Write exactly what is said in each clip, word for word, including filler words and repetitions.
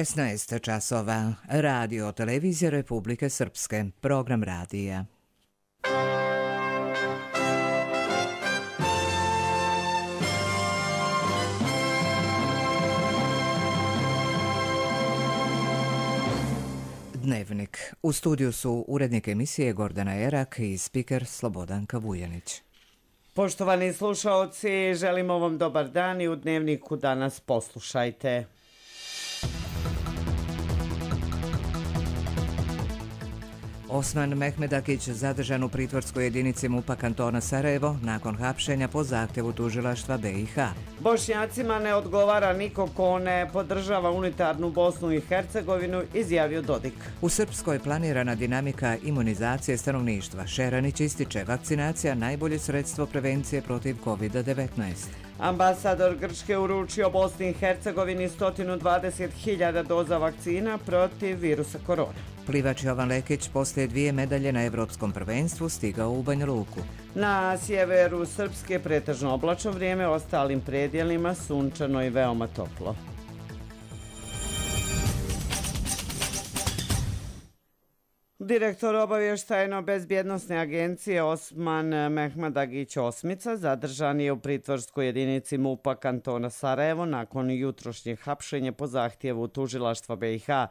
šesnaest časova. Radio Televizija Republike Srpske. Program radija. Dnevnik. U studiju su urednik emisije Gordana Erak i spiker Slobodanka Vujanić. Poštovani slušaoci, želimo vam dobar dan i u Dnevniku danas poslušajte. Osman Mehmedagić zadržan u pritvorskoj jedinici MUP-a kantona Sarajevo nakon hapšenja po zahtjevu tužilaštva B i H. Bošnjacima ne odgovara niko ko ne podržava unitarnu Bosnu i Hercegovinu, izjavio Dodik. U Srpskoj planirana dinamika imunizacije stanovništva. Šeranić ističe vakcinacija najbolje sredstvo prevencije protiv kovid devetnaest. Ambasador Grčke uručio Bosni i Hercegovini sto dvadeset hiljada doza vakcina protiv virusa korona. Plivač Jovan Lekić poslije dvije medalje na Evropskom prvenstvu stigao u Banja Luku. Na sjeveru Srpske pretežno oblačno vrijeme, ostalim predjelima sunčano i veoma toplo. Direktor obavještajno-bezbjednosne agencije Osman Mehmedagić Osmica zadržan je u pritvorskoj jedinici MUP-a kantona Sarajevo nakon jutrošnjeg hapšenja po zahtjevu tužilaštva B i H.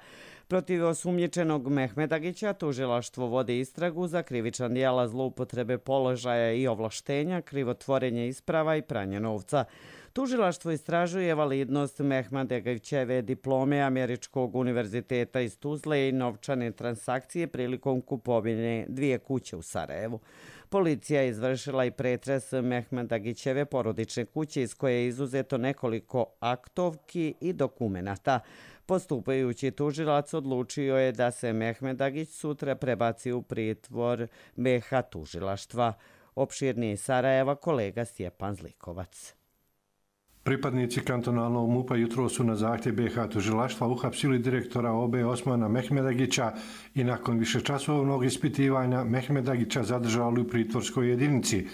Protiv osumnjičenog Mehmedagića tužilaštvo vodi istragu za krivična djela zloupotrebe položaja i ovlaštenja, krivotvorenje isprava i pranje novca. Tužilaštvo istražuje validnost Mehmedagićeve diplome Američkog univerziteta iz Tuzle i novčane transakcije prilikom kupovine dvije kuće u Sarajevu. Policija je izvršila i pretres Mehmedagićeve porodične kuće iz koje je izuzeto nekoliko aktovki i dokumenata. Postupajući tužilac odlučio je da se Mehmedagić sutra prebaci u pritvor B H tužilaštva. Opširnije iz Sarajeva kolega Stjepan Zlikovac. Pripadnici kantonalnog MUP-a jutro su na zahtjev B H tužilaštva uhapsili direktora O B Osmana Mehmedagića i nakon višečasovnog ispitivanja Mehmedagića zadržali u pritvorskoj jedinici.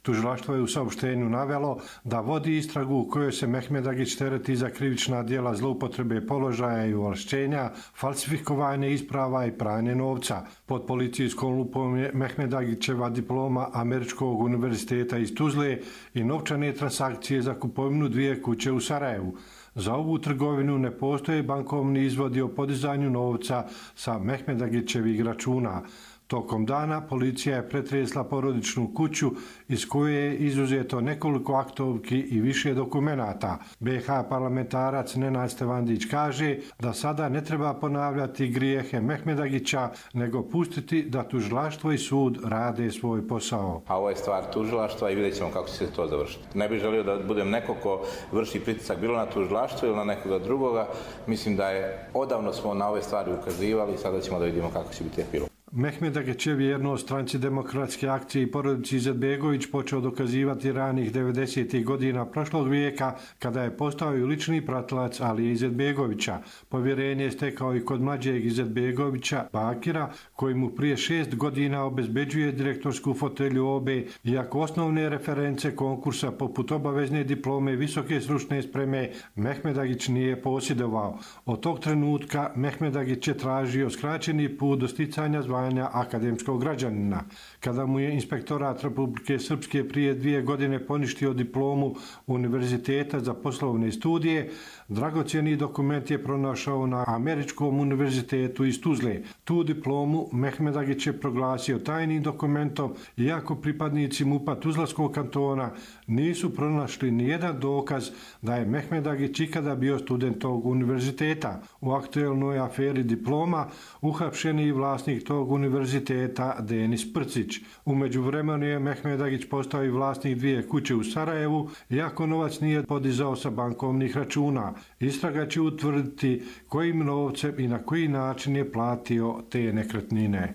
Tužilaštvo je u saopštenju navelo da vodi istragu u kojoj se Mehmedagić tereti za krivična djela zloupotrebe položaja i ovlašćenja, falsifikovanje isprava i pranje novca. Pod policijskom lupom je Mehmedagićeva diploma Američkog univerziteta iz Tuzle i novčane transakcije za kupovinu dvije kuće u Sarajevu. Za ovu trgovinu ne postoje bankovni izvodi o podizanju novca sa Mehmedagićevih računa. Tokom dana policija je pretresla porodičnu kuću iz koje je izuzeto nekoliko aktovki i više dokumenata. B H parlamentarac Nenad Stevandić kaže da sada ne treba ponavljati grijehe Mehmedagića, nego pustiti da tužilaštvo i sud rade svoj posao. A ovo je stvar tužilaštva i vidjet ćemo kako će se to završiti. Ne bih želio da budem neko ko vrši pritisak bilo na tužilaštvo ili na nekoga drugoga. Mislim da je odavno smo na ove stvari ukazivali i sada ćemo da vidimo kako će biti epilog. Mehmedagić je vjerno o stranci demokratske akcije i porodici Izetbegović počeo dokazivati ranih devedesetih godina prošlog vijeka kada je postao i lični pratilac Alije Izetbegovića. Povjerenje je stekao i kod mlađeg Izetbegovića Bakira, koji mu prije šest godina obezbeđuje direktorsku fotelju O B, iako osnovne reference konkursa poput obavezne diplome visoke stručne spreme Mehmedagić nije posjedovao. Od tog trenutka Mehmedagić je tražio skraćeni put do sticanja zvanja akademskog građanina. Kada mu je Inspektorat Republike Srpske prije dvije godine poništio diplomu Univerziteta za poslovne studije, dragocjeni dokument je pronašao na Američkom univerzitetu iz Tuzle. Tu diplomu Mehmedagić je proglasio tajnim dokumentom, iako pripadnici MUP-a Tuzlanskog kantona nisu pronašli nijedan dokaz da je Mehmedagić ikada bio student tog univerziteta. U aktuelnoj aferi diploma uhapšeni vlasnik tog univerziteta Denis Prcić. U međuvremenu je Mehmedagić postao i vlasnik dvije kuće u Sarajevu, iako novac nije podizao sa bankovnih računa. Istraga će utvrditi kojim novcem i na koji način je platio te nekretnine.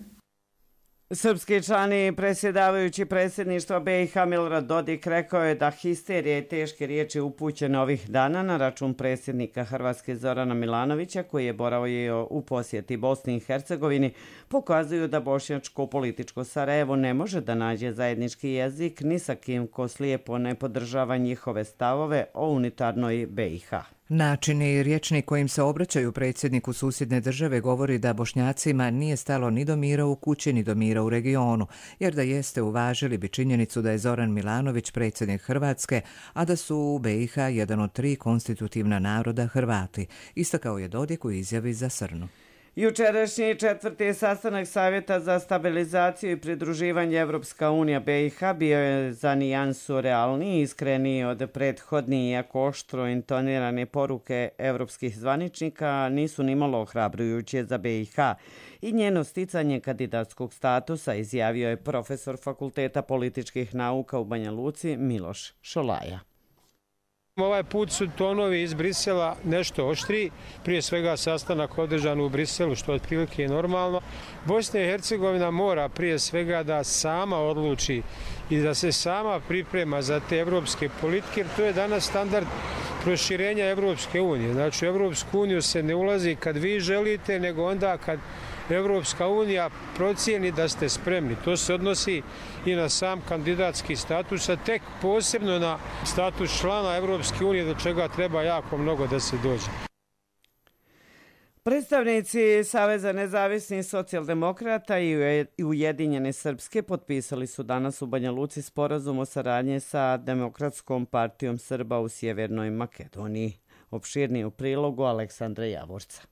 Srpski član i predsjedavajući predsjedništva B i H Milorad Dodik rekao je da histerija i teške riječi upućene ovih dana na račun predsjednika Hrvatske Zorana Milanovića, koji je boravio u posjeti Bosni i Hercegovini, pokazuju da bošnjačko političko Sarajevo ne može da nađe zajednički jezik ni sa kim ko slijepo ne podržava njihove stavove o unitarnoj B i H. Način i rječnik kojim se obraćaju predsjedniku susjedne države govori da Bošnjacima nije stalo ni do mira u kući ni do mira u regionu, jer da jeste uvažili bi činjenicu da je Zoran Milanović predsjednik Hrvatske, a da su u B i H jedan od tri konstitutivna naroda Hrvati, istakao je Dodik u izjavi za Srnu. Jučerašnji četvrti sastanak Savjeta za stabilizaciju i pridruživanje Evropska unija B i H bio je za nijansu realniji i iskreniji od prethodnih, iako oštro intonirane poruke evropskih zvaničnika nisu nimalo ohrabrujuće za B i H i njeno sticanje kandidatskog statusa, izjavio je profesor Fakulteta političkih nauka u Banja Luci Miloš Šolaja. Ovaj put su tonovi iz Brisela nešto oštriji, prije svega sastanak održan u Briselu, što otprilike je normalno. Bosna i Hercegovina mora prije svega da sama odluči i da se sama priprema za te evropske politike, jer to je danas standard proširenja Evropske unije. Znači, u Evropsku uniju se ne ulazi kad vi želite, nego onda kad Evropska unija procijeni da ste spremni. To se odnosi i na sam kandidatski status, a tek posebno na status člana Evropske unije, do čega treba jako mnogo da se dođe. Predstavnici Saveza nezavisnih socijaldemokrata i Ujedinjene Srpske potpisali su danas u Banja Luci sporazum o saradnji sa Demokratskom partijom Srba u Sjevernoj Makedoniji. Opširniji u prilogu Aleksandra Javorca.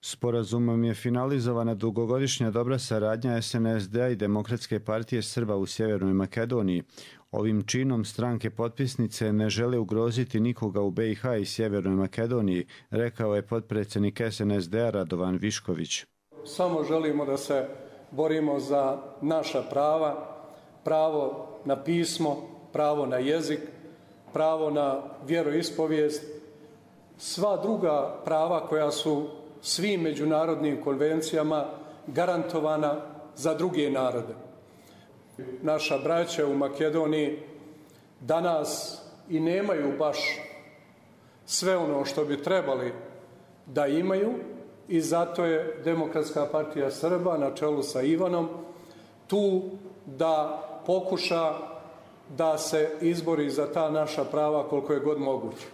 Sporazumom je finalizovana dugogodišnja dobra saradnja S N S D-a i Demokratske partije Srba u Sjevernoj Makedoniji. Ovim činom stranke potpisnice ne žele ugroziti nikoga u B i H i Sjevernoj Makedoniji, rekao je potpredsjednik S N S D-a Radovan Višković. Samo želimo da se borimo za naša prava, pravo na pismo, pravo na jezik, pravo na vjeroispovijest, sva druga prava koja su svim međunarodnim konvencijama garantovana za druge narode. Naša braća u Makedoniji danas i nemaju baš sve ono što bi trebali da imaju i zato je Demokratska partija Srba na čelu sa Ivanom tu da pokuša da se izbori za ta naša prava koliko je god moguće.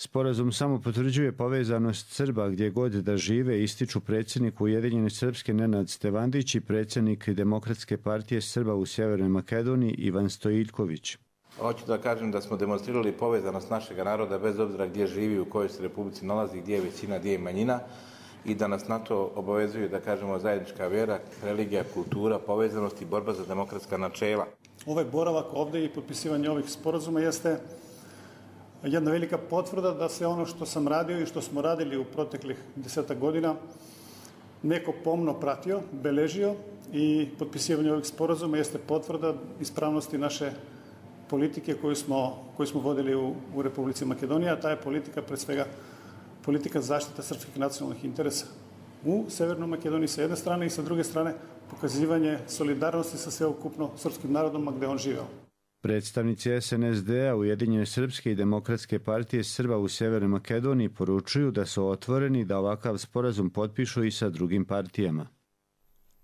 Sporazum samo potvrđuje povezanost Srba gdje god da žive, ističu predsjednik Ujedinjene Srpske Nenad Stevandić i predsjednik Demokratske partije Srba u Sjevernoj Makedoniji Ivan Stojiljković. Hoću da kažem da smo demonstrirali povezanost našeg naroda bez obzira gdje živi, u kojoj se republici nalazi, gdje je većina, gdje je manjina i da nas na to obavezuju, da kažemo, zajednička vjera, religija, kultura, povezanost i borba za demokratska načela. Ovaj boravak ovdje i potpisivanje ovih sporazuma jeste jedna velika potvrda da se ono što sam radio i što smo radili u proteklih desetak godina neko pomno pratio, beležio i potpisivanje ovih sporazuma jeste potvrda ispravnosti naše politike koju smo, koju smo vodili u, u Republici Makedonija. Ta je politika pred svega politika zaštita srpskih nacionalnih interesa u Severnoj Makedoniji sa jedne strane i sa druge strane pokazivanje solidarnosti sa sveukupno srpskim narodom gdje on živeo. Predstavnici S N S D-a, Ujedinjene Srpske i Demokratske partije Srba u Sjevernoj Makedoniji poručuju da su otvoreni da ovakav sporazum potpišu i sa drugim partijama.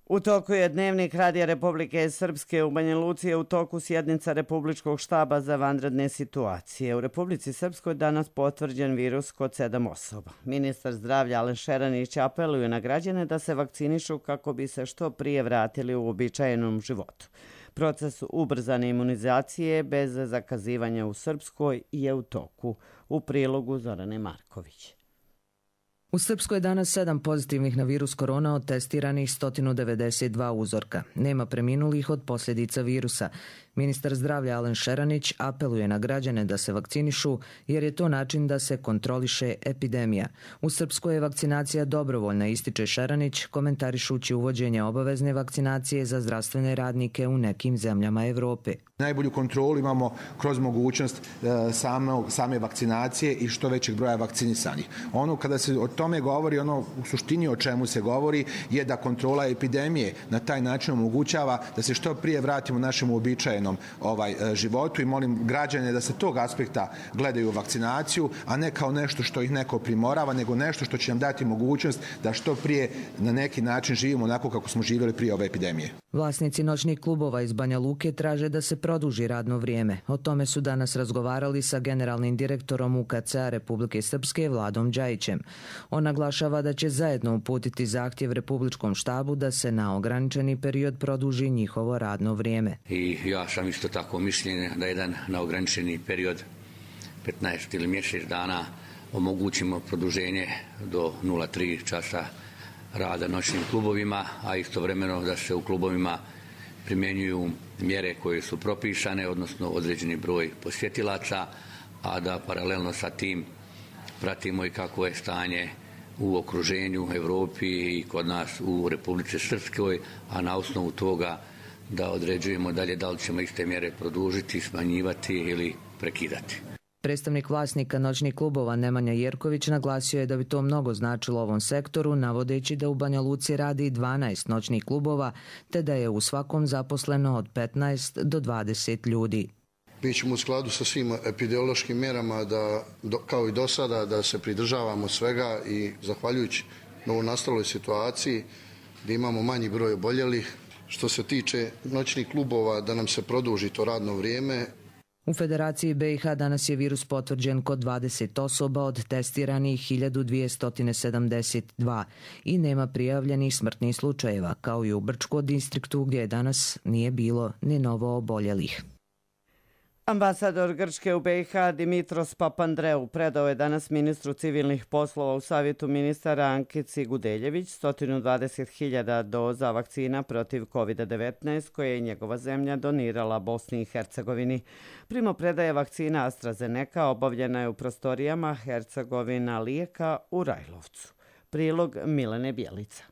U toku je Dnevnik Radija Republike Srpske. U Banja Luci je u toku sjednica Republičkog štaba za vanredne situacije. U Republici Srpskoj danas potvrđen virus kod sedam osoba. Ministar zdravlja Alen Šeranić apeluje na građane da se vakcinišu kako bi se što prije vratili u uobičajenom životu. Proces ubrzane imunizacije bez zakazivanja u Srpskoj je u toku. U prilogu Zorane Marković. U Srpskoj je danas sedam pozitivnih na virus korona od testiranih sto devedeset dva uzorka. Nema preminulih od posljedica virusa. Ministar zdravlja Alen Šeranić apeluje na građane da se vakcinišu jer je to način da se kontroliše epidemija. U Srpskoj je vakcinacija dobrovoljna, ističe Šeranić, komentarišući uvođenje obavezne vakcinacije za zdravstvene radnike u nekim zemljama Evrope. Najbolju kontrolu imamo kroz mogućnost same, same vakcinacije i što većeg broja vakcinisanih. Ono kada se o tom tome govori ono u suštini o čemu se govori je da kontrola epidemije na taj način omogućava da se što prije vratimo našem uobičajenom ovaj, životu i molim građane da se tog aspekta gledaju vakcinaciju, a ne kao nešto što ih neko primorava, nego nešto što će nam dati mogućnost da što prije na neki način živimo onako kako smo živjeli prije ove epidemije. Vlasnici noćnih klubova iz Banja Luke traže da se produži radno vrijeme. O tome su danas razgovarali sa generalnim direktorom U K C-a Republike Srpske Vladom Đajićem. On naglašava da će zajedno uputiti zahtjev Republičkom štabu da se na ograničeni period produži njihovo radno vrijeme. I ja sam isto tako mišljenja da jedan na ograničeni period petnaest ili mjesec dana omogućimo produženje do nula tri časa rada noćnim klubovima, a istovremeno da se u klubovima primjenjuju mjere koje su propisane, odnosno određeni broj posjetilaca, a da paralelno sa tim pratimo i kako je stanje u okruženju, Europi i kod nas u Republici Srpskoj, a na osnovu toga da određujemo dalje da li ćemo iste mjere produžiti, smanjivati ili prekidati. Predstavnik vlasnika noćnih klubova Nemanja Jerković naglasio je da bi to mnogo značilo ovom sektoru, navodeći da u Banja Luci radi dvanaest noćnih klubova, te da je u svakom zaposleno od petnaest do dvadeset ljudi. Mi ćemo u skladu sa svim epidemiološkim mjerama, da, kao i do sada, da se pridržavamo svega i zahvaljujući novonastaloj situaciji gdje imamo manji broj oboljelih. Što se tiče noćnih klubova, da nam se produži to radno vrijeme. U Federaciji B i H danas je virus potvrđen kod dvadeset osoba od testiranih hiljadu dvjesto sedamdeset dva i nema prijavljenih smrtnih slučajeva, kao i u Brčkom distriktu gdje danas nije bilo ni novo oboljelih. Ambasador Grčke u B i H Dimitros Papandreou predao je danas ministru civilnih poslova u Savjetu ministara Ankici Gudeljević sto dvadeset hiljada doza vakcina protiv kovid devetnaest koje je njegova zemlja donirala Bosni i Hercegovini. Primopredaja vakcina AstraZeneca obavljena je u prostorijama Hercegovina Lijeka u Rajlovcu. Prilog Milene Bjelica.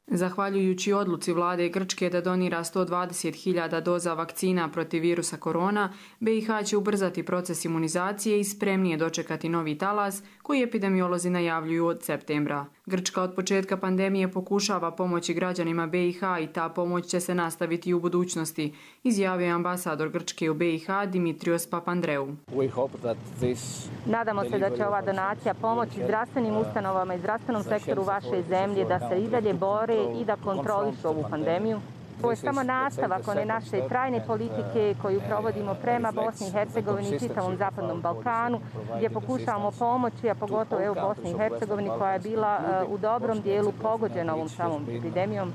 Zahvaljujući odluci vlade Grčke da donira sto dvadeset hiljada doza vakcina protiv virusa korona, B i H će ubrzati proces imunizacije i spremnije dočekati novi talas koji epidemiolozi najavljuju od septembra. Grčka od početka pandemije pokušava pomoći građanima B i H i ta pomoć će se nastaviti i u budućnosti, izjavio je ambasador Grčke u B i H Dimitrios Papandreou. Nadamo se da će ova donacija pomoći zdravstvenim ustanovama i zdravstvenom sektoru vaše zemlje da se i dalje bore i da kontrolišu ovu pandemiju. Ovo je samo nastavak one naše trajne politike koju provodimo prema Bosni i Hercegovini i čitavom Zapadnom Balkanu, gdje pokušavamo pomoći, a pogotovo evo Bosni i Hercegovini koja je bila uh, u dobrom dijelu pogođena ovom samom epidemijom.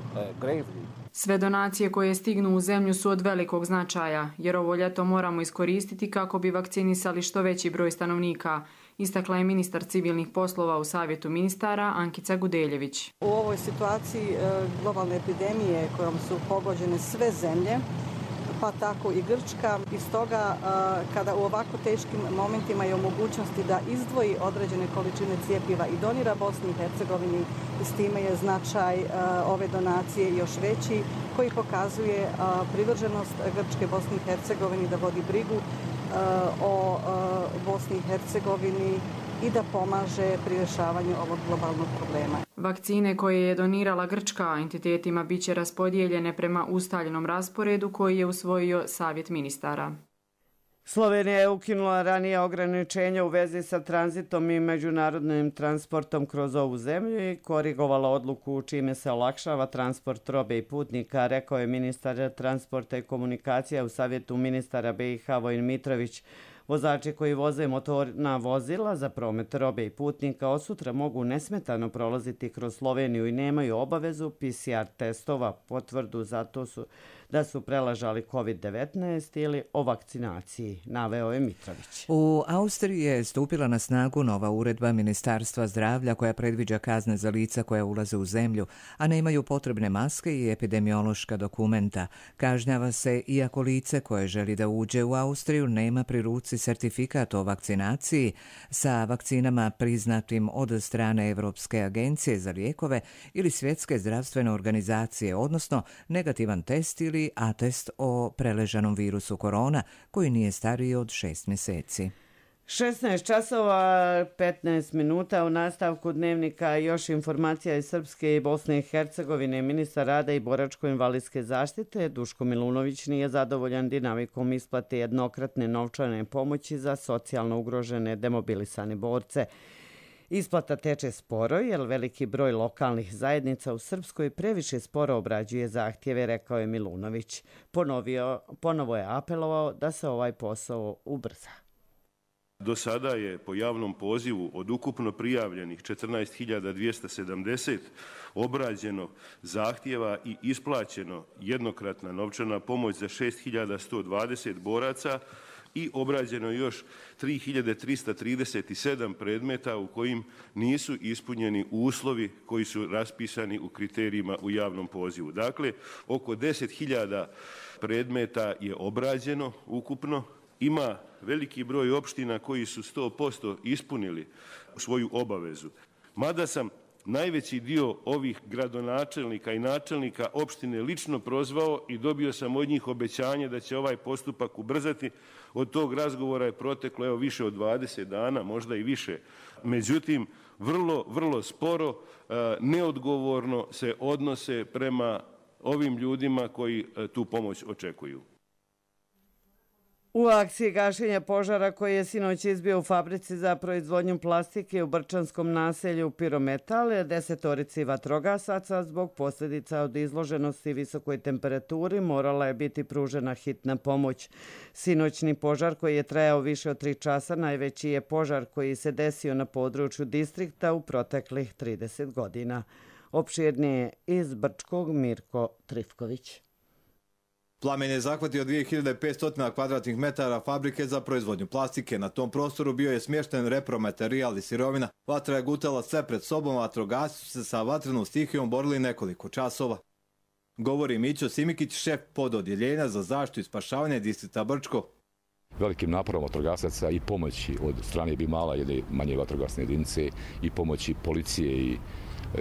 Sve donacije koje stignu u zemlju su od velikog značaja, jer ovo ljeto moramo iskoristiti kako bi vakcinisali što veći broj stanovnika, istakla je ministar civilnih poslova u Savjetu ministara Ankica Gudeljević. U ovoj situaciji globalne epidemije kojom su pogođene sve zemlje, pa tako i Grčka, i stoga kada u ovako teškim momentima je u mogućnosti da izdvoji određene količine cijepiva i donira Bosni i Hercegovini, s time je značaj ove donacije još veći, koji pokazuje privrženost Grčke Bosni i Hercegovini da vodi brigu o Bosni i Hercegovini i da pomaže pri rješavanju ovog globalnog problema. Vakcine koje je donirala Grčka entitetima bit će raspodijeljene prema ustaljenom rasporedu koji je usvojio Savjet ministara. Slovenija je ukinula ranije ograničenja u vezi sa tranzitom i međunarodnim transportom kroz ovu zemlju i korigovala odluku čime se olakšava transport robe i putnika, rekao je ministar transporta i komunikacija u Savjetu ministara B i H Vojin Mitrović. Vozači koji voze motorna vozila za promet robe i putnika od sutra mogu nesmetano prolaziti kroz Sloveniju i nemaju obavezu P C R testova, potvrdu zato su da su prelažali kovid devetnaest ili o vakcinaciji, naveo je Mitrović. U Austriji je stupila na snagu nova uredba Ministarstva zdravlja koja predviđa kazne za lica koja ulaze u zemlju, a nemaju potrebne maske i epidemiološka dokumenta. Kažnjava se iako lice koje želi da uđe u Austriju nema pri ruci sertifikat o vakcinaciji sa vakcinama priznatim od strane Evropske agencije za lijekove ili Svjetske zdravstvene organizacije, odnosno negativan test ili atest o preležanom virusu korona koji nije stariji od šest mjeseci. šesnaest časova petnaest minuta u nastavku dnevnika još informacija iz Srpske i Bosne i Hercegovine. Ministar rada i boračko-invalidske zaštite Duško Milunović nije zadovoljan dinamikom isplate jednokratne novčane pomoći za socijalno ugrožene demobilisane borce. Isplata teče sporo jer veliki broj lokalnih zajednica u Srpskoj previše sporo obrađuje zahtjeve, rekao je Milunović. Ponovio, ponovo je apelovao da se ovaj posao ubrza. Do sada je po javnom pozivu od ukupno prijavljenih četrnaest hiljada dvjesto sedamdeset obrađeno zahtjeva i isplaćeno jednokratna novčana pomoć za šest hiljada sto dvadeset boraca i obrađeno još tri hiljade trista trideset sedam predmeta u kojim nisu ispunjeni uslovi koji su raspisani u kriterijima u javnom pozivu. Dakle, oko deset hiljada predmeta je obrađeno ukupno. Ima veliki broj opština koji su sto posto ispunili svoju obavezu. Mada sam najveći dio ovih gradonačelnika i načelnika opštine lično prozvao i dobio sam od njih obećanje da će ovaj postupak ubrzati. Od tog razgovora je proteklo evo više od dvadeset dana, možda i više. Međutim, vrlo, vrlo sporo, neodgovorno se odnose prema ovim ljudima koji tu pomoć očekuju. U akciji gašenja požara koji je sinoć izbio u fabrici za proizvodnju plastike u Brčanskom naselju Pirometal, desetorici vatrogasaca zbog posljedica od izloženosti visokoj temperaturi morala je biti pružena hitna pomoć. Sinoćni požar koji je trajao više od tri časa najveći je požar koji se desio na području distrikta u proteklih trideset godina. Opširnije iz Brčkog Mirko Trifković. Plamen je zahvatio dvije hiljade petsto kvadratnih metara fabrike za proizvodnju plastike. Na tom prostoru bio je smješten repromaterijal i sirovina. Vatra je gutala sve pred sobom, vatrogasci su se sa vatrenom stihijom borili nekoliko časova. Govori Mićo Simikić, šef pododjeljenja za zaštitu i spašavanje distrikta Brčko. Velikim naporom vatrogasaca i pomoći od strane Bimala, jedne manje vatrogasne jedinice, i pomoći policije i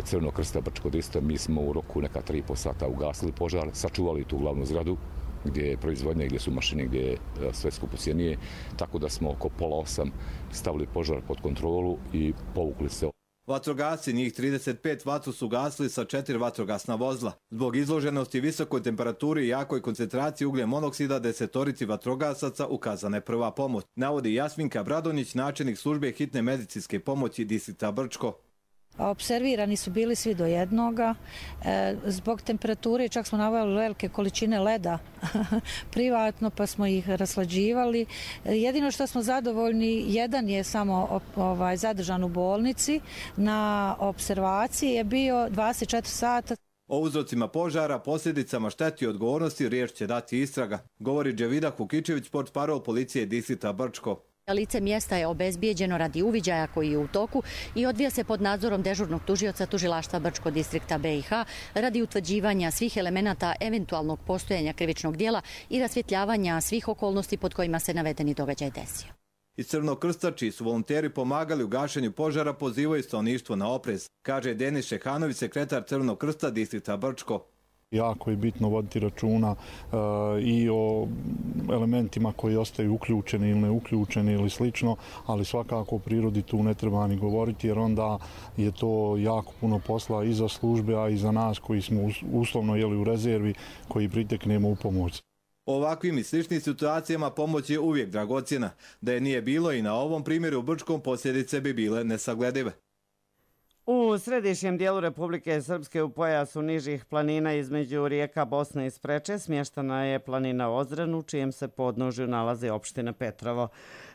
Crvenog krsta Brčkog distrikta, mi smo u roku neka tri i po sata ugasili požar, sačuvali tu glavnu zgradu gdje je proizvodnja, gdje su mašine, gdje je sve skupocjenije, tako da smo oko pola osam stavili požar pod kontrolu i povukli se. Vatrogasci, njih trideset pet, vatru su gasili sa četiri vatrogasna vozila. Zbog izloženosti visokoj temperaturi i jakoj koncentraciji ugljen monoksida desetorici vatrogasaca ukazana je prva pomoć, navodi Jasminka Bradonić, načelnik službe hitne medicinske pomoći distrikta Brčko. Observirani su bili svi do jednoga. E, zbog temperature čak smo naveli velike količine leda privatno, pa smo ih raslađivali. E, jedino što smo zadovoljni, jedan je samo ovaj, zadržan u bolnici na observaciji, je bio dvadeset četiri sata. O uzrocima požara, posljedicama šteti i odgovornosti riječ će dati istraga, govori Dževida Kukičević, portparol policije distrikta Brčko. Lice mjesta je obezbijeđeno radi uviđaja koji je u toku i odvija se pod nadzorom dežurnog tužioca tužilaštva Brčkog distrikta B i H radi utvrđivanja svih elemenata eventualnog postojanja krivičnog dijela i rasvjetljavanja svih okolnosti pod kojima se navedeni događaj desio. Iz Crvenog krsta, čiji su volonteri pomagali u gašenju požara, pozivaju stanovništvo na oprez, kaže Denis Šehanović, sekretar Crvenog krsta distrikta Brčko. Jako je bitno voditi računa uh, i o elementima koji ostaju uključeni ili neuključeni ili slično, ali svakako o prirodi tu ne treba ni govoriti jer onda je to jako puno posla i za službe, a i za nas koji smo uslovno jeli u rezervi, koji priteknemo u pomoć. U ovakvim i sličnim situacijama pomoć je uvijek dragocjena. Da je nije bilo i na ovom primjeru u Brčkom, posljedice bi bile nesagledive. U središnjem dijelu Republike Srpske u pojasu nižih planina između rijeka Bosne i Spreče smještena je planina Ozren u čijem se podnožju nalazi opština Petrovo.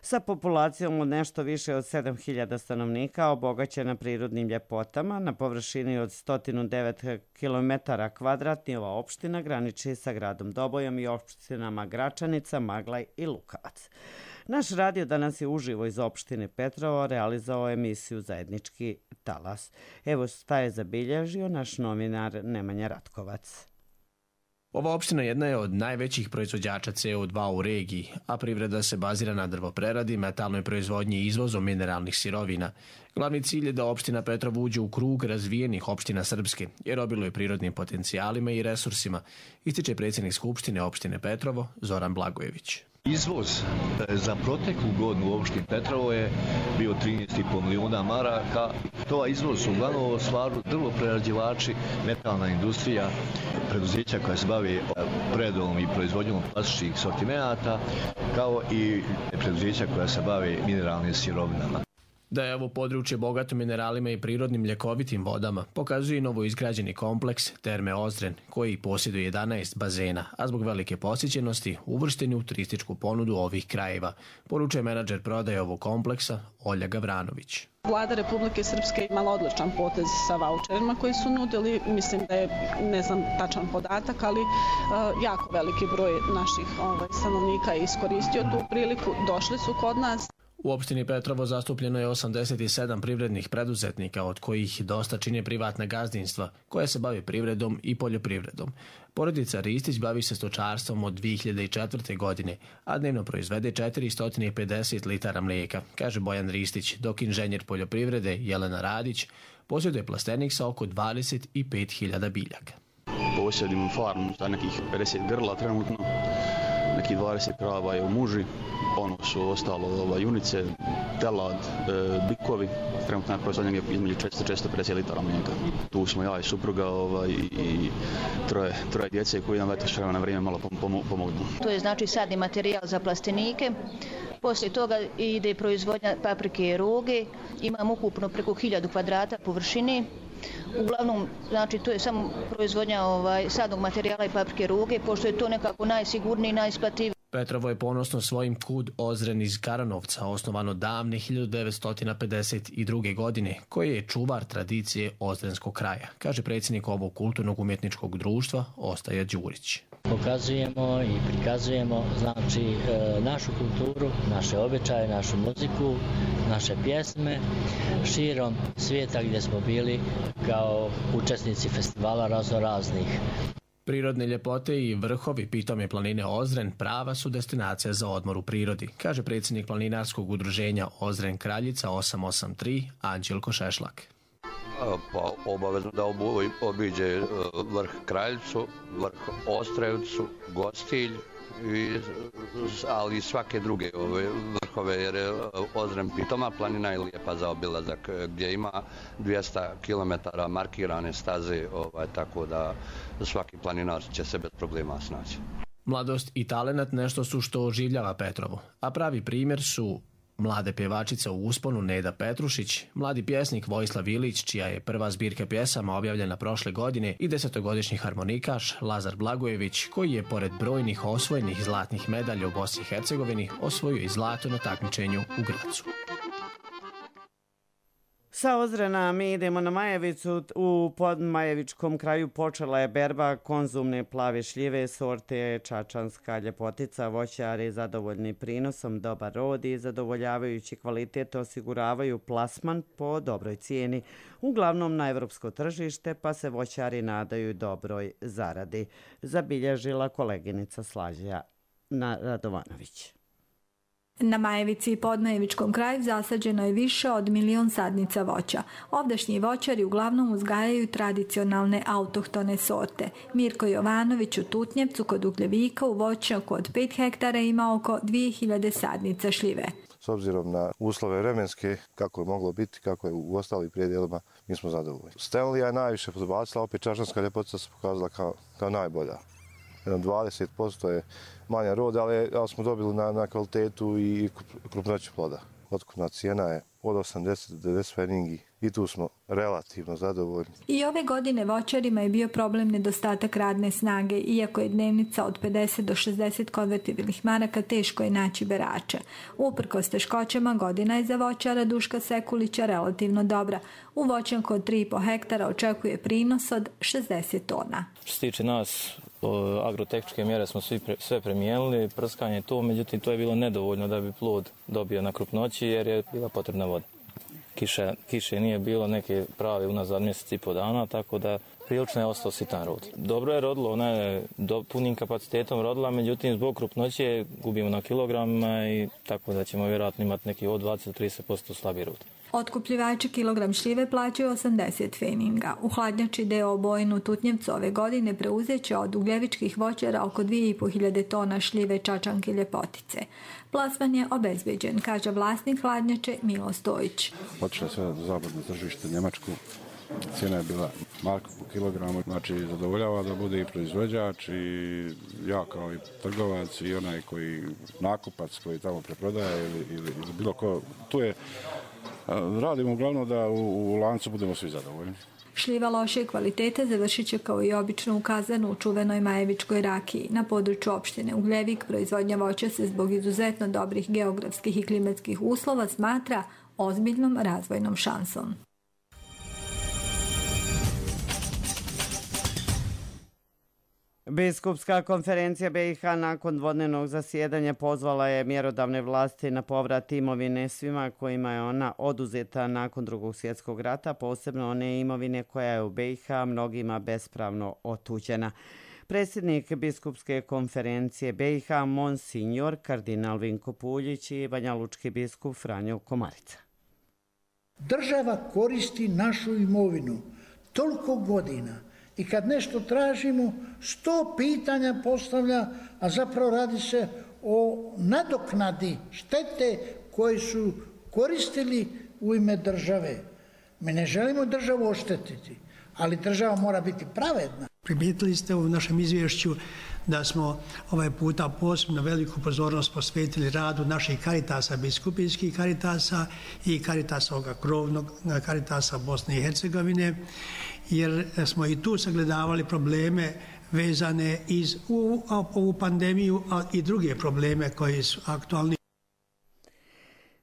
Sa populacijom od nešto više od sedam hiljada stanovnika, obogaćena prirodnim ljepotama, na površini od sto devet kilometara kvadratnih, ova opština graniči sa gradom Dobojom i opštinama Gračanica, Maglaj i Lukavac. Naš radio danas je uživo iz opštine Petrovo realizao emisiju Zajednički talas. Evo šta je zabilježio naš novinar Nemanja Ratkovac. Ova opština jedna je od najvećih proizvođača C O dva u regiji, a privreda se bazira na drvopreradi, metalnoj proizvodnji i izvozom mineralnih sirovina. Glavni cilj je da opština Petrovo uđe u krug razvijenih opština Srpske, jer obiluje prirodnim potencijalima i resursima, ističe predsjednik Skupštine opštine Petrovo Zoran Blagojević. Izvoz za proteklu godinu u opštini Petrovo je bio trinaest i po milijuna maraka. To izvoz su uglavnom stvaru drvoprerađivači, metalna industrija, preduzeća koja se bavi predom i proizvodnjom plastičnih sortimenata, kao i preduzeća koja se bavi mineralnim sirovinama. Da je ovo područje bogato mineralima i prirodnim ljekovitim vodama, pokazuje i novo izgrađeni kompleks Terme Ozren, koji posjeduje jedanaest bazena, a zbog velike posjećenosti uvršteni u turističku ponudu ovih krajeva, poručuje menadžer prodaje ovog kompleksa Olja Gavranović. Vlada Republike Srpske imala odličan potez sa vaučerima koji su nudili, mislim da je, ne znam tačan podatak, ali uh, jako veliki broj naših ovaj, stanovnika je iskoristio tu priliku, došli su kod nas. U opštini Petrovo zastupljeno je osamdeset sedam privrednih preduzetnika, od kojih dosta čine privatna gazdinstva, koja se bavi privredom i poljoprivredom. Porodica Ristić bavi se stočarstvom od dvije hiljade četvrte. godine, a dnevno proizvede četiristo pedeset litara mlijeka, kaže Bojan Ristić, dok inženjer poljoprivrede Jelena Radić posjeduje plastenik sa oko dvadeset pet hiljada biljaka. Posjedim farmu sa nekih pedeset grla trenutno, nekih dvadeset krava je u muži, ono su ostalo ova, junice, telad, e, bikovi, trenutno je proizvodnja između četiristo do četiristo pedeset litara mlijeka. Tu smo ja i supruga ovaj, i, i troje, troje djece koji nam eto s vremena na vrijeme malo pom pomognu. To je znači sadni materijal za plastenike. Poslije toga ide proizvodnja paprike i roge. Imam ukupno preko hiljadu kvadrata površine. Uglavnom, znači, to je samo proizvodnja ovaj, sadnog materijala i paprike roge, pošto je to nekako najsigurniji i najisplativiji. Petrovo je ponosno svojim Kud Ozren iz Karanovca, osnovano davne hiljadu devetsto pedeset druge. godine, koji je čuvar tradicije ozrenskog kraja, kaže predsjednik ovog kulturnog umjetničkog društva Ostaja Đurić. Pokazujemo i prikazujemo znači našu kulturu, naše običaje, našu muziku, naše pjesme širom svijeta gdje smo bili kao učesnici festivala raznoraznih. Prirodne ljepote i vrhovi pitome planine Ozren prava su destinacija za odmor u prirodi, kaže predsjednik planinarskog udruženja Ozren Kraljica osam osam tri Anđelko Šešlak. Pa obavezno da obiđe vrh Kraljicu, vrh Ostrevcu, Gostilj, i, ali i svake druge ove vrhove, jer je Ozren pitoma planina i lijepa za obilazak, gdje ima dvjesto kilometara markirane staze, ovaj, tako da svaki planinar će se bez problema snaći. Mladost i talenat nešto su što oživljava Petrovo, a pravi primjer su mlade pjevačica u usponu Neda Petrušić, mladi pjesnik Vojislav Ilić, čija je prva zbirka pjesama objavljena prošle godine, i desetogodišnji harmonikaš Lazar Blagojević, koji je pored brojnih osvojenih zlatnih medalja u Bosni i Hercegovini osvojio i zlato na takmičenju u Gracu. Sa Ozrena mi idemo na Majevicu. U podmajevičkom kraju počela je berba konzumne plave šljive sorte Čačanska ljepotica. Voćari zadovoljni prinosom, dobar rod i zadovoljavajući kvalitet osiguravaju plasman po dobroj cijeni, uglavnom na evropsko tržište, pa se voćari nadaju dobroj zaradi, zabilježila koleginica Slađa Radovanović. Na Majevici i podmajevičkom kraju zasađeno je više od milion sadnica voća. Ovdašnji voćari uglavnom uzgajaju tradicionalne autohtone sorte. Mirko Jovanović u Tutnjevcu kod Ugljevika u voćnjaku od pet hektara ima oko dvije hiljade sadnica šljive. S obzirom na uslove vremenske, kako je moglo biti, kako je u ostalim prijedjelima, mi smo zadovoljni. Stenlija je najviše podbacila, opet Čačanska ljepotica se pokazala kao, kao najbolja. Jedno dvadeset posto je manja roda, ali, ali smo dobili na, na kvalitetu i krupnoću ploda. Otkupna cijena je od osamdeset do devedeset pfenningi i tu smo relativno zadovoljni. I ove godine voćarima je bio problem nedostatak radne snage, iako je dnevnica od pedeset do šezdeset konvertibilnih maraka, teško je naći berače. Uprkos teškoćama, godina je za voćara Duška Sekulića relativno dobra. U voćnjaku od tri i po hektara očekuje prinos od šezdeset tona. Što se tiče nas, agrotehničke mjere smo svi pre, sve premijenili, prskanje to, međutim to je bilo nedovoljno da bi plod dobio na krupnoći jer je bila potrebna voda. Kiše, kiše nije bilo neke prave unazad mjesec i po dana, tako da prilično je ostao sitan rod. Dobro je rodilo, ona je do, punim kapacitetom rodila, međutim zbog krupnoće gubimo na kilogramima i tako da ćemo vjerojatno imati neki od dvadeset do trideset posto slabiji rod. Otkupljivači kilogram šljive plaćaju osamdeset feninga. U hladnjači deo obojenu Tutnjevcu ove godine preuzet će od ugljevičkih voćara oko dvije i po hiljade tona šljive Čačanke Ljepotice. Plasman je obezbeđen, kaže vlasnik hladnjače Milo Stojić. Otišla sve na zapadno tržište, Njemačku. Cijena je bila marka po kilogramu, znači zadovoljava da bude i proizvođač i ja kao i trgovac i onaj koji nakupac koji tamo preprodaje ili, ili, ili bilo ko. Tu je, radimo uglavnom da u, u lancu budemo svi zadovoljni. Šljiva loše kvalitete završit će kao i obično ukazano u čuvenoj Majevičkoj rakiji. Na području opštine Ugljevik proizvodnja voća se zbog izuzetno dobrih geografskih i klimatskih uslova smatra ozbiljnom razvojnom šansom. Biskupska konferencija B i H nakon dvodnevnog zasjedanja pozvala je mjerodavne vlasti na povrat imovine svima kojima je ona oduzeta nakon Drugog svjetskog rata, posebno one imovine koja je u B i H mnogima bespravno otuđena. Predsjednik Biskupske konferencije B i H Monsignor kardinal Vinko Puljić i banjalučki biskup Franjo Komarica. Država koristi našu imovinu toliko godina i kad nešto tražimo, sto pitanja postavlja, a zapravo radi se o nadoknadi štete koje su koristili u ime države. Mi ne želimo državu oštetiti, ali država mora biti pravedna. Primijetili ste u našem izvješću da smo ovaj puta posebno veliku pozornost posvetili radu naših karitasa, biskupijskih karitasa i karitasa ovoga krovnog karitasa Bosne i Hercegovine, jer smo i tu sagledavali probleme vezane iz u ovu pandemiju, a i druge probleme koji su aktualni.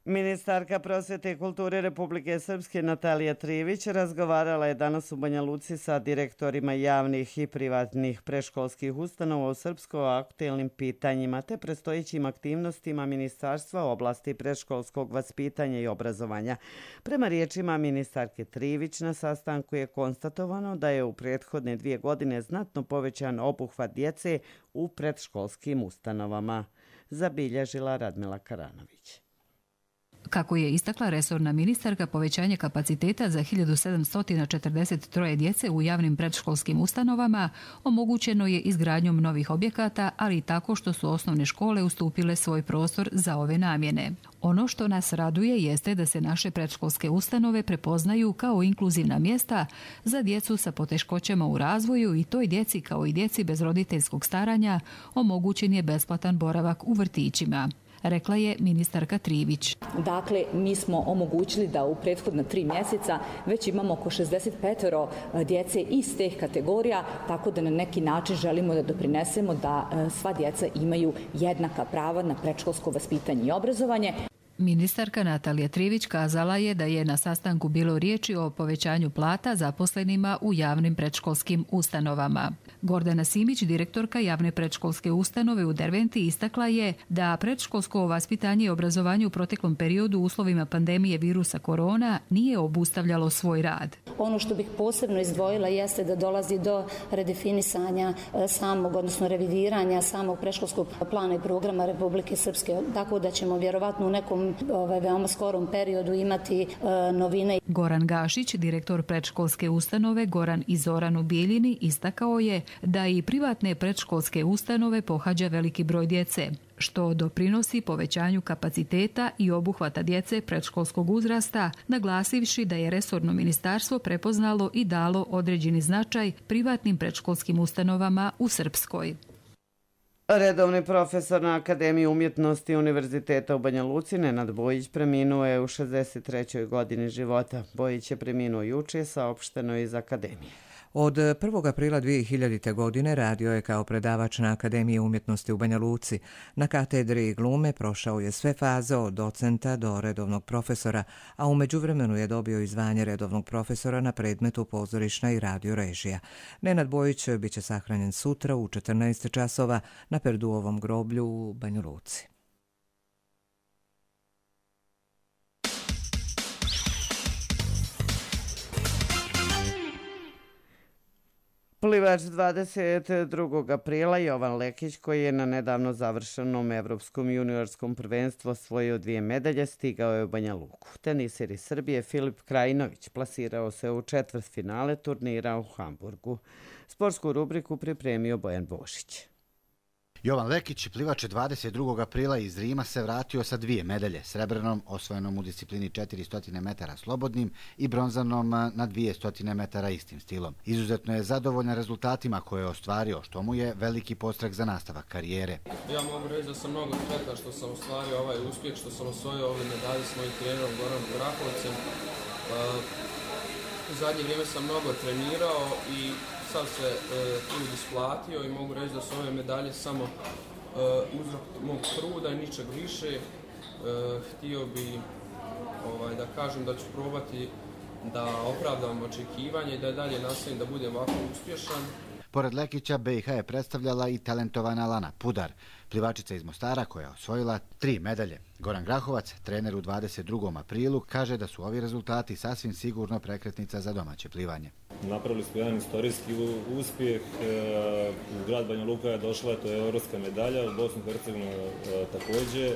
Ministarka prosvjete i kulture Republike Srpske Natalija Trivić razgovarala je danas u Banja Luci sa direktorima javnih i privatnih predškolskih ustanova u Srpskoj o aktuelnim pitanjima te predstojećim aktivnostima ministarstva u oblasti predškolskog vaspitanja i obrazovanja. Prema riječima ministarke Trivić na sastanku je konstatovano da je u prethodne dvije godine znatno povećan obuhvat djece u predškolskim ustanovama. Zabilježila Radmila Karanović. Kako je istakla resorna ministarka, povećanje kapaciteta za hiljadu sedamsto četrdeset tri djece u javnim predškolskim ustanovama omogućeno je izgradnjom novih objekata, ali i tako što su osnovne škole ustupile svoj prostor za ove namjene. Ono što nas raduje jeste da se naše predškolske ustanove prepoznaju kao inkluzivna mjesta za djecu sa poteškoćama u razvoju i toj djeci kao i djeci bez roditeljskog staranja omogućen je besplatan boravak u vrtićima, rekla je ministarka Trivić. Dakle, mi smo omogućili da u prethodna tri mjeseca već imamo oko šezdeset pet djece iz teh kategorija, tako da na neki način želimo da doprinesemo da sva djeca imaju jednaka prava na predškolsko vaspitanje i obrazovanje. Ministarka Natalija Trivić kazala je da je na sastanku bilo riječi o povećanju plata zaposlenima u javnim predškolskim ustanovama. Gordana Simić, direktorka javne predškolske ustanove u Derventi, istakla je da predškolsko vaspitanje i obrazovanje u proteklom periodu u uslovima pandemije virusa korona nije obustavljalo svoj rad. Ono što bih posebno izdvojila jeste da dolazi do redefinisanja samog, odnosno revidiranja samog predškolskog plana i programa Republike Srpske, tako da ćemo vjerovatno u nekom ovaj, veoma skorom periodu imati e, novine. Goran Gašić, direktor predškolske ustanove Goran i Zoran u Bijeljini, istakao je da i privatne predškolske ustanove pohađa veliki broj djece, što doprinosi povećanju kapaciteta i obuhvata djece predškolskog uzrasta, naglasivši da je resorno ministarstvo prepoznalo i dalo određeni značaj privatnim predškolskim ustanovama u Srpskoj. Redovni profesor na Akademiji umjetnosti Univerziteta u Banja Luci, Nenad Bojić, preminuo je u šezdeset trećoj godini života. Bojić je preminuo juče, saopšteno iz Akademije. Od prvog aprila dvije hiljadite. godine radio je kao predavač na Akademiji umjetnosti u Banja Luci. Na katedri glume prošao je sve faze od docenta do redovnog profesora, a u međuvremenu je dobio i zvanje redovnog profesora na predmetu pozorišna i radio režija. Nenad Bojić biće sahranjen sutra u četrnaest časova na Perduovom groblju u Banja Luci. Plivač dvadeset drugog aprila Jovan Lekić, koji je na nedavno završenom evropskom juniorskom prvenstvu osvojio dvije medalje, stigao je u Banja Luku. Teniser iz Srbije Filip Krajinović plasirao se u četvrtfinale turnira u Hamburgu. Sportsku rubriku pripremio Bojan Bošić. Jovan Lekić, plivač dvadeset drugog aprila iz Rima, se vratio sa dvije medalje, srebrnom osvojenom u disciplini četiristo metara slobodnim i bronzanom na dvjesto metara istim stilom. Izuzetno je zadovoljan rezultatima koje je ostvario, što mu je veliki podstrek za nastavak karijere. Ja mogu reći da sam mnogo sretan što sam ostvario ovaj uspjeh, što sam osvojio ove medalje s mojim trenerom Goranom Grahovcem. U zadnje vrijeme sam mnogo trenirao i sad se e, trud isplatio i mogu reći da su ove medalje samo e, uzrok mog truda i ničeg više. E, htio bi ovaj, da kažem da ću probati da opravdam očekivanje i da dalje nastavim da budem ovako uspješan. Pored Lekića, B i H je predstavljala i talentovana Lana Pudar, plivačica iz Mostara koja je osvojila tri medalje. Goran Grahovac, trener u dvadeset drugom aprilu, kaže da su ovi rezultati sasvim sigurno prekretnica za domaće plivanje. Napravili smo jedan istorijski uspjeh. U grad Banja Luka je došla, to je evropska medalja, u Bosnu i Hercegovinu također.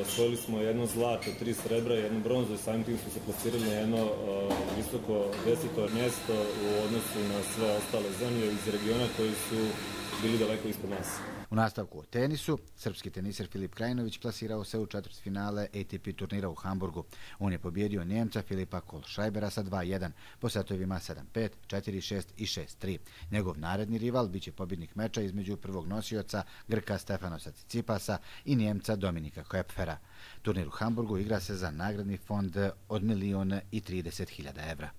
Osvojili smo jedno zlato, tri srebra i jednu bronzu i samim tim smo se plasirali na jedno visoko deseto mjesto u odnosu na sve ostale zemlje iz regiona koji su bili daleko ispod nas. U nastavku o tenisu, srpski teniser Filip Krajinović plasirao se u četvrtfinale A T P turnira u Hamburgu. On je pobjedio Njemca Filipa Kohlscheibera sa dva jedan po setovima sedam pet, četiri šest i šest tri. Njegov naredni rival biće pobjednik meča između prvog nosioca Grka Stefanosa Cicipasa i Njemca Dominika Koepfera. Turnir u Hamburgu igra se za nagradni fond od milion i trideset hiljada evra.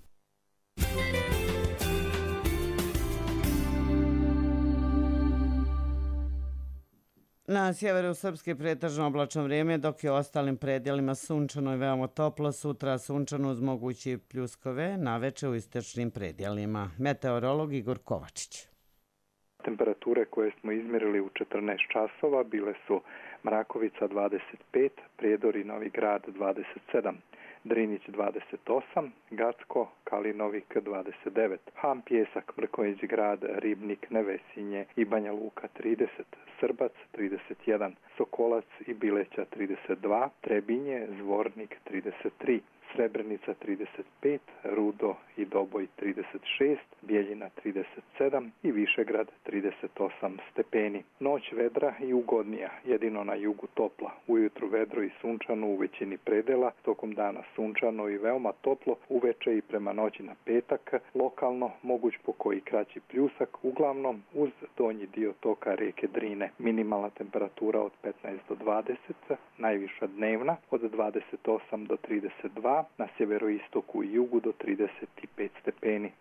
Na sjeveru Srpske pretežno oblačno vrijeme, dok je u ostalim predjelima sunčano i veoma toplo. Sutra sunčano uz mogući pljuskove, naveče u istočnim predjelima. Meteorolog Igor Kovačić. Temperature koje smo izmjerili u četrnaest časova bile su Mrakovica dvadeset pet, Prijedor i Novi Grad dvadeset sedam, Drinić dvadeset osam, Gacko, Kalinovik dvadeset devet, Ham, Pjesak, Mrkonjić Grad, Ribnik, Nevesinje i Banja Luka trideset, Srbac trideset jedan, Sokolac i Bileća trideset dva, Trebinje, Zvornik trideset tri, Srebrenica trideset pet, Rudo i Doboj trideset šest, Bijeljina trideset sedam i Višegrad trideset osam stepeni. Noć vedra i ugodnija, jedino na jugu topla. Ujutru vedro i sunčano u većini predela, tokom dana sunčano i veoma toplo, uveče i prema noći na petak, lokalno moguć po koji kraći pljusak, uglavnom uz donji dio toka rijeke Drine. Minimalna temperatura od petnaest do dvadeset, najviša dnevna od dvadeset osam do trideset dva, na sjeveroistoku i jugu do trideset pet stepeni.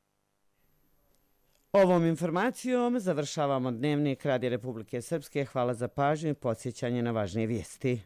Ovom informacijom završavamo dnevnik Radija Republike Srpske. Hvala za pažnju i podsjećanje na važnije vijesti.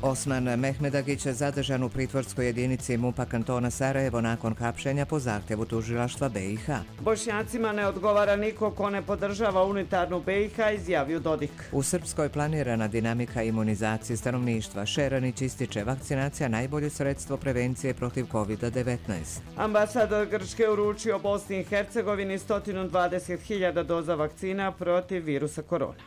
Osman Mehmedagić je zadržan u pritvorskoj jedinici MUP-a kantona Sarajevo nakon hapšenja po zahtjevu tužilaštva B i H. Bošnjacima ne odgovara niko ko ne podržava unitarnu B i H, izjavio Dodik. U Srpskoj planirana dinamika imunizacije stanovništva. Šeranić ističe vakcinacija najbolje sredstvo prevencije protiv kovid devetnaest. Ambasador Grčke uručio Bosni i Hercegovini sto dvadeset hiljada doza vakcina protiv virusa korona.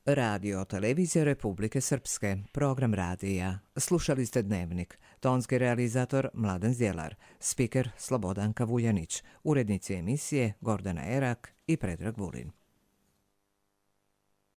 Radio Televizija Republike Srpske, program radija. Slušali ste Dnevnik. Tonski realizator Mladen Zjelar, spiker Slobodanka Vuljanić, urednici emisije Gordana Erak i Predrag Vulin.